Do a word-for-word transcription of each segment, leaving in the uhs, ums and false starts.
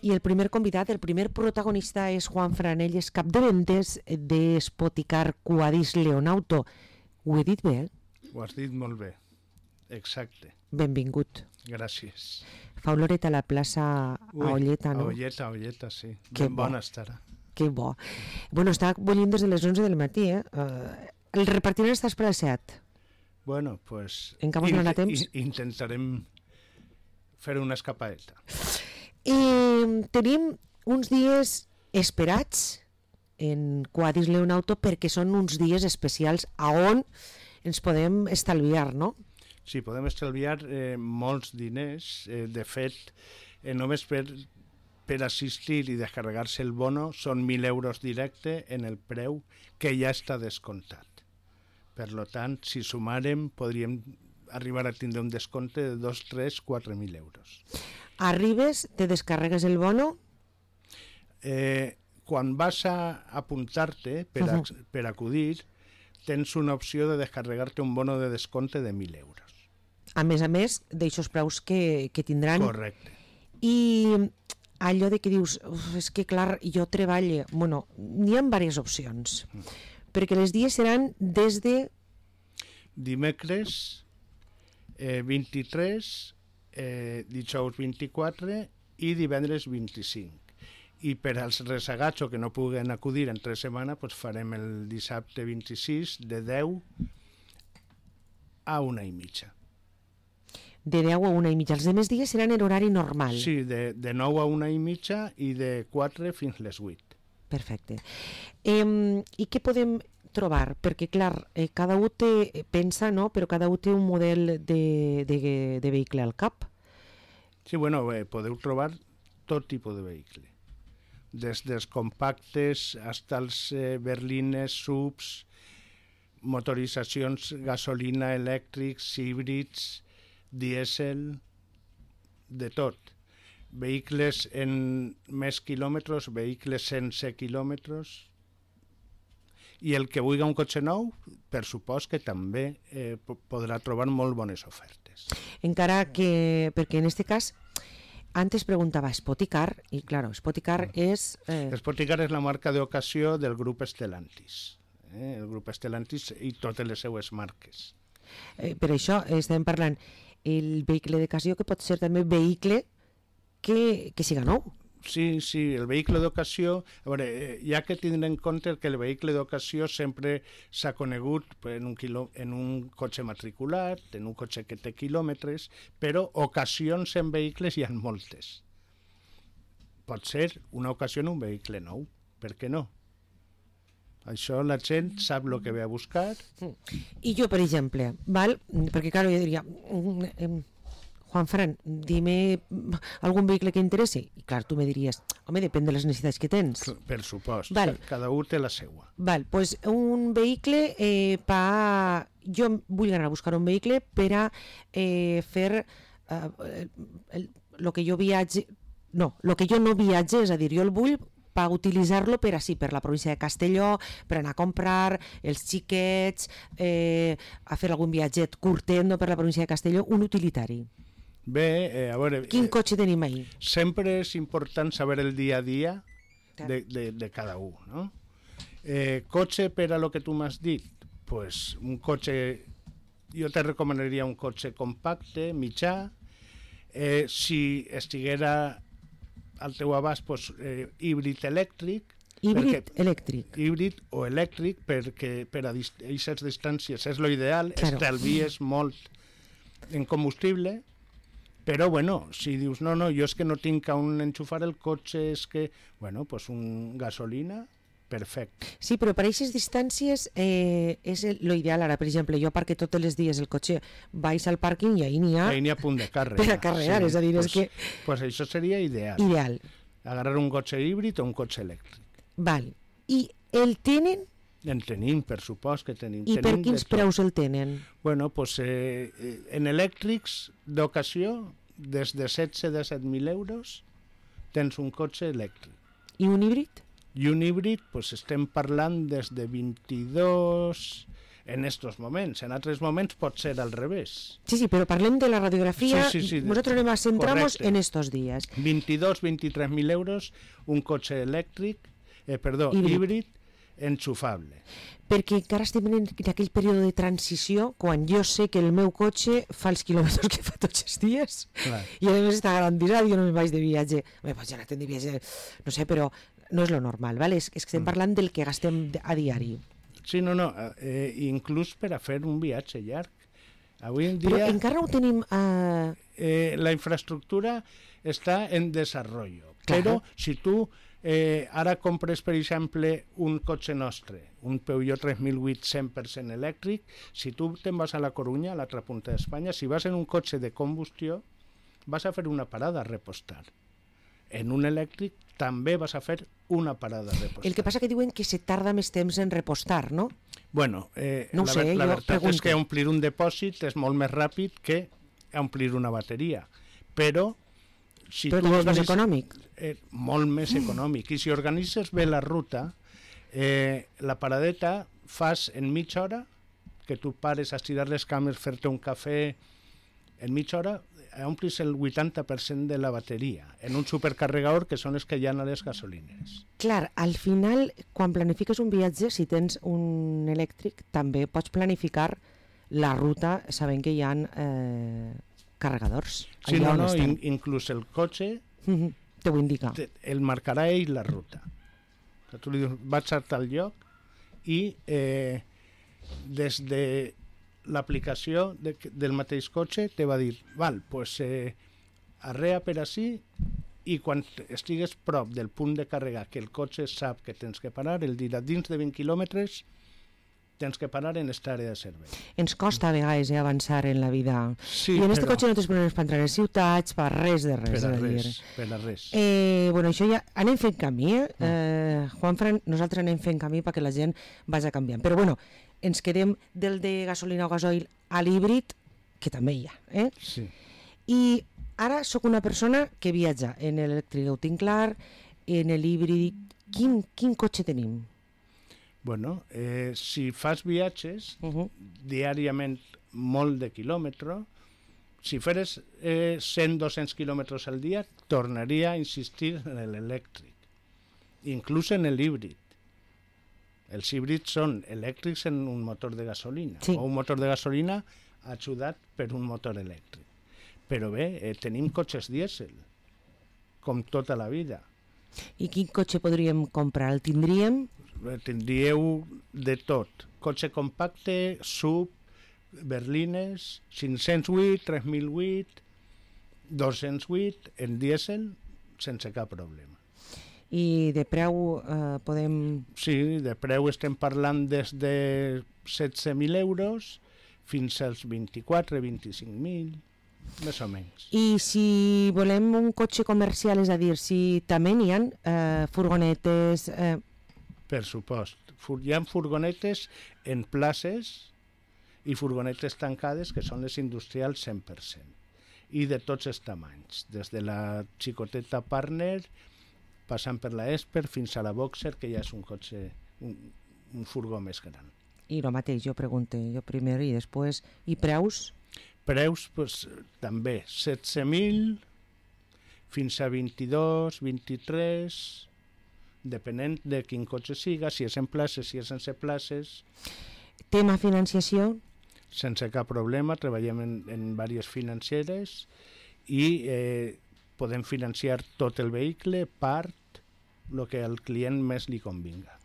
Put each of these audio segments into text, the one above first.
i el primer convidat, el primer protagonista és Juan Fran, ell és cap de ventes de Spoticar Quadis Leonauto. Ho he dit bé, eh? Ho has dit molt bé, exacte. Benvingut. Gràcies. Fa oloret a la plaça Ui, a Olleta, no? A Olleta, a Olleta, sí. Que ben bo. bona estarà. Que bo. Bueno, està bullint des de les onze del matí, eh? Uh, el repartiment està per les set. Bueno, pues... Encara no hi ha temps? Intentarem fer una escapadeta. I tenim uns dies esperats en Quadis Leonauto perquè són uns dies especials a on ens podem estalviar, no? Sí, podem estalviar eh, molts diners. Eh, de fet, eh, només per, per assistir i descarregar-se el bono són mil euros directe en el preu que ja està descomptat. Per tant, si sumarem, podríem arribar a tindre un descompte de dos, tres, quatre mil euros. Arribes, te descarregues el bono? Eh, quan vas a apuntar-te per, a, per acudir, tens una opció de descarregar-te un bono de descompte de mil euros. A més a més, d'aixòs preus que, que tindran. Correcte. I allò de que dius, és que clar, jo treballo... Bueno, n'hi ha diverses opcions. Mm. Perquè els dies seran des de... Dimecres eh, vint-i-tres, eh, dijous vint-i-quatre i divendres vint-i-cinc. I per als resagats o que no puguen acudir entre setmana, pues farem el dissabte vint-i-sis de deu a una i mitja. De deu a una i mitja. Els demés dies seran en horari normal. Sí, de, de nou a una i mitja i de quatre fins les vuit. Perfecte. Eh, I què podem trobar? Perquè, clar, eh, cada un té, pensa, no? Però cada un té un model de, de, de vehicle al cap. Sí, bueno, eh, podeu trobar tot tipus de vehicle. Des dels compactes fins als eh, berlines, subs, motoritzacions, gasolina, elèctrics, híbrids, dièsel, de tot. Vehicles en més quilòmetres, vehicles sense quilòmetres, i el que vulgui un cotxe nou, per supost que també eh, podrà trobar molt bones ofertes. Encara que, perquè en este cas, antes preguntava Spoticar, i claro, Spoticar mm. és... Eh... Spoticar és la marca d'ocasió del grup Stellantis, eh? El grup Stellantis i totes les seues marques. Eh, per això estem parlant el vehicle d'ocasió, que pot ser també vehicle que, que siga nou. Sí, sí, el vehicle d'ocasió, a veure, hi ha que tindre en compte que el vehicle d'ocasió sempre s'ha conegut en un, quilò, en un cotxe matriculat, en un cotxe que té quilòmetres, però ocasions en vehicles hi ha moltes. Pot ser una ocasió en un vehicle nou, per què no? Això la gent sap el que ve a buscar. I jo, per exemple, val? Perquè clar, jo diria... Juan Fran, dime algun vehicle que interessi. I clar, tu me diries, home, depèn de les necessitats que tens. Per supost, val. Cada un té la seua. Val, doncs un vehicle eh, pa... Jo vull anar a buscar un vehicle per a eh, fer eh, el, el que jo viatge... No, el que jo no viatge, és a dir, jo el vull per utilitzar-lo per així, per la província de Castelló, per anar a comprar els xiquets, eh, a fer algun viatget curtet, no, per la província de Castelló, un utilitari. Bé, eh, a veure... Quin cotxe tenim ahí? Sempre és important saber el dia a dia de, de, de cada un, no? Eh, cotxe per a lo que tu m'has dit, pues un cotxe... Jo te recomanaria un cotxe compacte, mitjà, eh, si estiguera al teu abast, pues, eh, híbrid elèctric. Híbrid elèctric. Híbrid o elèctric, perquè per a aquestes distàncies és lo ideal, claro. Estalvies molt en combustible. Però, bueno, si dius, no, no, jo és que no tinc on enxufar el cotxe, és que, bueno, pues un gasolina, perfecte. Sí, però per aquestes distàncies eh, és l'ideal. Ara, per exemple, jo aparque tots els dies el cotxe, vaig al pàrquing i ahí n'hi ha... Ahí n'hi ha punt de càrrega. Per a carregar, sí, és a dir, pues, és que... Pues això seria ideal. Ideal. Agarrar un cotxe híbrid o un cotxe elèctric. Val. I el tenen... En tenim, per supost que tenim. I tenim per quins preus el tenen? Bueno, pues eh, en elèctrics d'ocasió, des de setze a disset mil euros, tens un cotxe elèctric. I un híbrid? I un híbrid, pues estem parlant des de vint-i-dos, en estos moments. En altres moments pot ser al revés. Sí, sí, però parlem de la radiografia. Sí, sí, sí, Nosotros nos centramos correcte. en estos días. veintidós veintitrés mil euros un cotxe elèctric, eh, perdó, Híbrid. híbrid enxufable. Perquè encara estem en, en aquell període de transició quan jo sé que el meu cotxe fa els quilòmetres que fa tots els dies. Clar. I a més està garantitzat, jo no me'n vaig de viatge. Bé, pues ja no de viatge, no sé, però no és lo normal, ¿vale? És, és que estem parlant del que gastem a diari. Sí, no, no, eh, inclús per a fer un viatge llarg. Avui en dia... Però encara no ho tenim... Eh... Eh, la infraestructura està en desenvolupament. Clar. Però si tu eh, ara compres, per exemple, un cotxe nostre, un Peugeot tres mil vuit cent per cent elèctric, si tu te'n vas a la Corunya, a l'altra punta d'Espanya, si vas en un cotxe de combustió, vas a fer una parada a repostar. En un elèctric també vas a fer una parada a repostar. El que passa que diuen que se tarda més temps en repostar, no? Bueno, eh, no ho la, sé, la jo veritat pregunto. és que omplir un depòsit és molt més ràpid que omplir una bateria. Però si Però tu també és més organitzes- econòmic. Eh, molt més econòmic. I si organitzes bé la ruta, eh, la paradeta fas en mitja hora, que tu pares a estirar les cames, fer-te un cafè, en mitja hora omplis el vuitanta per cent de la bateria en un supercarregador que són els que hi ha a les gasolineres. Clar, al final, quan planifiques un viatge, si tens un elèctric, també pots planificar la ruta sabent que hi ha eh, carregadors. Sí, allà no, on no, estem. in, inclús el cotxe Mhm, te ho indica. te, el marcarà ell la ruta. Que tu li dius, vaig a tal lloc i eh, des de l'aplicació de, del mateix cotxe te va dir, val, pues eh, arrea per ací i quan estigues prop del punt de càrrega que el cotxe sap que tens que parar, el dirà dins de vint quilòmetres tens que parar en esta àrea de servei. Ens costa a vegades eh, avançar en la vida. Sí, I en este però cotxe no tens problemes per entrar a les ciutats, per res de res. per a és a dir. res, per a res. Eh, bueno, això ja anem fent camí, eh? eh Juanfran, nosaltres anem fent camí perquè la gent vagi canviant. Però bueno, ens quedem del de gasolina o gasoil a l'híbrid, que també hi ha. Eh? Sí. I ara sóc una persona que viatja en l'elèctric, ho tinc clar, en l'híbrid. Quin, quin cotxe tenim? Bueno, eh, si fas viatges Uh -huh. diàriament molt de quilòmetre, si feres eh, cent a dos-cents quilòmetres al dia, tornaria a insistir en l'elèctric, inclús en l'híbrid. Els híbrids són elèctrics en un motor de gasolina, Sí. o un motor de gasolina ajudat per un motor elèctric. Però bé, eh, tenim cotxes dièsel, com tota la vida. I quin cotxe podríem comprar? El tindríem? Eh, Tindríeu de tot. Cotxe compacte, sub, berlines, cinc-cents vuit, tres mil vuit, dos-cents vuit, en dièsel, sense cap problema. I de preu eh, podem... Sí, de preu estem parlant des de setze mil euros fins als vint-i-quatre, vint-i-cinc mil, més o menys. I si volem un cotxe comercial, és a dir, si també n'hi ha eh, furgonetes... Eh, Per supost. Fur- Hi ha furgonetes en places i furgonetes tancades, que són les industrials cent per cent. I de tots els tamanys, des de la xicoteta Partner, passant per la Esper, fins a la Boxer, que ja és un cotxe, un, un furgó més gran. I el mateix, jo pregunto, jo primer i després... I preus? Preus, pues, també, setze mil fins a vint-i-dos, vint-i-tres, depenent de quin cotxe siga, si és en places, si és sense places. Tema financiació? Sense cap problema, treballem en, en diverses financeres i eh, podem financiar tot el vehicle, part, el que al client més li convinga.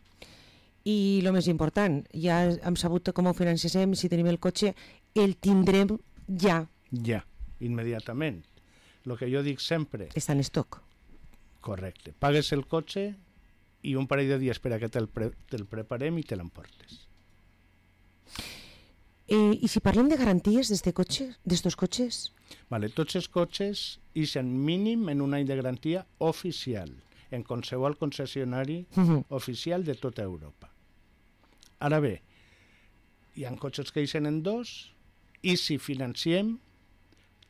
I el més important, ja hem sabut com ho financiem, si tenim el cotxe, el tindrem ja. Ja, immediatament. El que jo dic sempre, Està en estoc. correcte, pagues el cotxe i un parell de dies per a que te'l pre te preparem i te l'emportes. Eh, I si parlem de garanties d'este cotxe, d'estos cotxes? Vale, tots els cotxes ixen mínim en un any de garantia oficial, en qualsevol concessionari Uh -huh. oficial de tota Europa. Ara bé, hi ha cotxes que ixen en dos i si financiem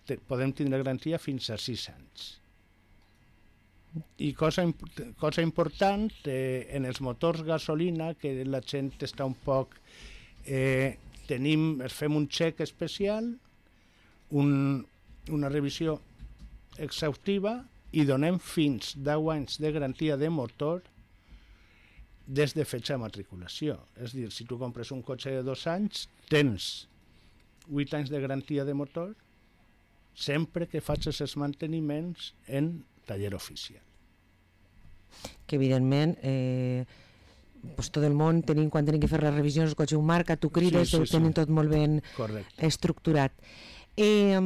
te, podem tindre garantia fins a sis anys. I cosa, imp cosa important, eh, en els motors gasolina, que la gent està un poc eh, tenim, fem un xec especial, un, una revisió exhaustiva i donem fins deu anys de garantia de motor des de fetge de matriculació. És a dir, si tu compres un cotxe de dos anys, tens vuit anys de garantia de motor sempre que facis els manteniments en taller oficial. Que evidentment eh, pues tot el món tenim, quan tenim que fer les revisions el cotxe un marca, tu crides, sí, sí, ho tenen sí. tot molt ben Correcte. Estructurat. Eh,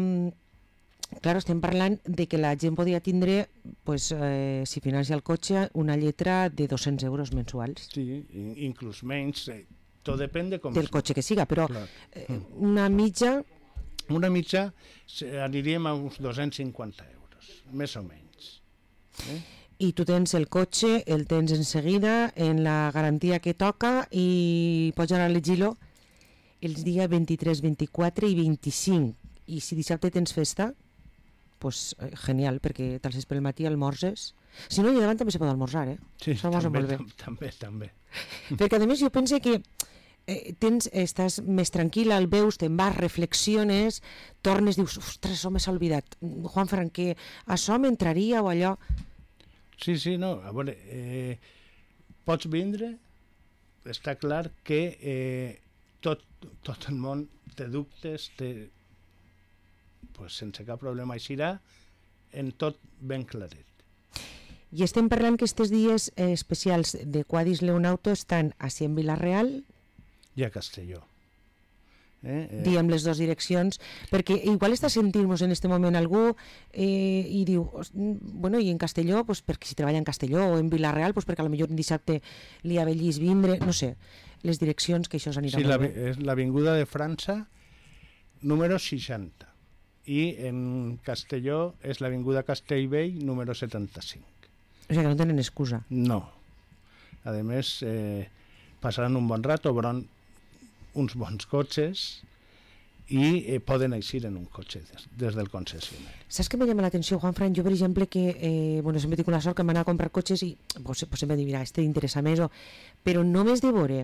clar, estem parlant de que la gent podria tindre, pues, eh, si financia el cotxe, una lletra de dos-cents euros mensuals. Sí, inclús menys, eh, tot depèn de com... del cotxe que siga, però eh, una mitja... Una mitja aniríem a uns dos-cents cinquanta euros, més o menys. Eh? I tu tens el cotxe, el tens en seguida, en la garantia que toca, i pots anar a elegir-lo els dies vint-i-tres, vint-i-quatre i vint-i-cinc. I si dissabte tens festa, pues eh, genial, perquè te'ls pel matí almorzes. Si no, allà davant també se pot almorzar, eh? Sí, també, també, també. Perquè a més jo penso que eh, tens, estàs més tranquil, el veus, te'n vas, reflexiones, tornes, dius, ostres, això m'ha oblidat. Juanfran, que això m'entraria o allò... Sí, sí, no, a veure, eh, pots vindre, està clar que eh, tot, tot el món té dubtes, té, pues, sense cap problema eixirà, en tot ben claret. I estem parlant que aquests dies eh, especials de Quadis Leonauto estan així en Vila-real i a Castelló. Eh, eh. Diem les dues direccions, perquè igual està sentint-nos en aquest moment algú eh, i diu, bueno, i en Castelló, pues, perquè si treballa en Castelló, o en Vila-real, pues, perquè potser un dissabte li avellís vindre, no sé, les direccions que això s'anirà sí, molt la, bé. És l'Avinguda de França, número seixanta, i en Castelló és l'Avinguda Castellvell, número setanta-cinc. O sigui que no tenen excusa. No. A més, eh, passaran un bon rato, veuran uns bons cotxes i eh, poden eixir en un cotxe des, des del concessionari. Saps què me llama l'atenció, Juanfran? Jo, per exemple, que eh, bueno, sempre tinc la sort que m'anar a comprar cotxes i pues, pues sempre dic, mira, este t'interessa més, o... però només de veure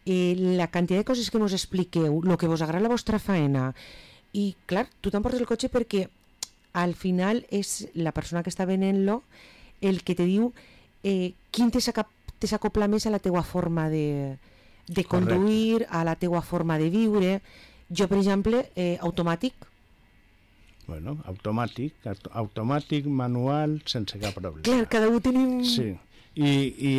eh, la quantitat de coses que mos expliqueu, el que vos agrada la vostra faena, i clar, tu t'emportes el cotxe perquè al final és la persona que està venent-lo el que te diu eh, quin te s'acopla més a la teua forma de, de conduir, a la teua forma de viure. Jo, per exemple, eh, automàtic. Bueno, automàtic, automàtic, manual, sense cap problema. Clar, cada un tenim... Sí, i, i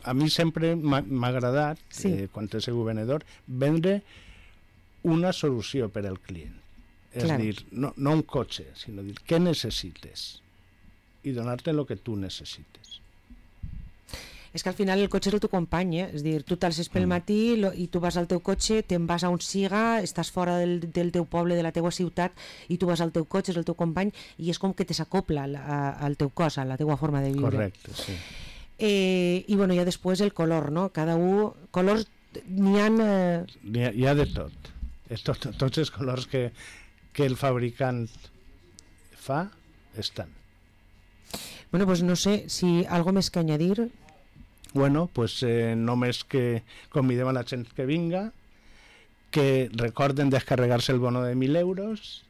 a mi sempre m'ha agradat, sí. eh, quan he sigut venedor, vendre una solució per al client. És Clar. dir, no, no un cotxe, sinó dir, què necessites? I donar-te el que tu necessites. És que al final el cotxe és el teu company, eh? És dir, tu t'alces pel matí lo, i tu vas al teu cotxe, te'n vas a on siga, estàs fora del, del teu poble, de la teua ciutat, i tu vas al teu cotxe, és el teu company, i és com que te s'acopla al teu cos, a la teua forma de viure. Correcte, sí. Eh, I bueno, ja després el color, no? Cada un... Colors n'hi ha... Eh... Hi ha, hi ha de tot. tot. Tots els colors que, que el fabricant fa estan. Bueno, pues no sé si algo més que añadir. Bueno, pues eh, només que convidem a la gent que vinga, que recorden descarregar-se el bono de mil euros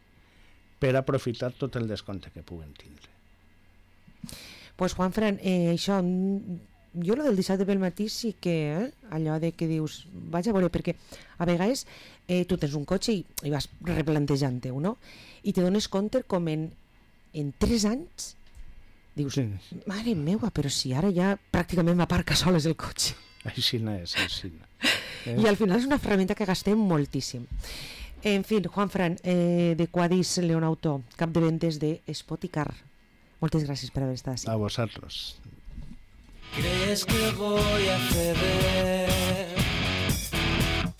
per aprofitar tot el descompte que puguen tindre. Pues Juanfran, eh, això, jo lo del dissabte pel matí sí que, eh, allò de que dius, vaig a veure, perquè a vegades eh, tu tens un cotxe i, i vas replantejant-ho, no? I te dones compte com en, en tres anys dius, sí. Mare meua, però si ara ja pràcticament m'aparca soles el cotxe. Així no és, així no. Eh? I al final és una ferramenta que gastem moltíssim. En fi, Juanfran, eh, de Quadis Leonauto, cap de ventes de Spoticar. Moltes gràcies per haver estat així. A vosotros. ¿Crees que voy a ceder?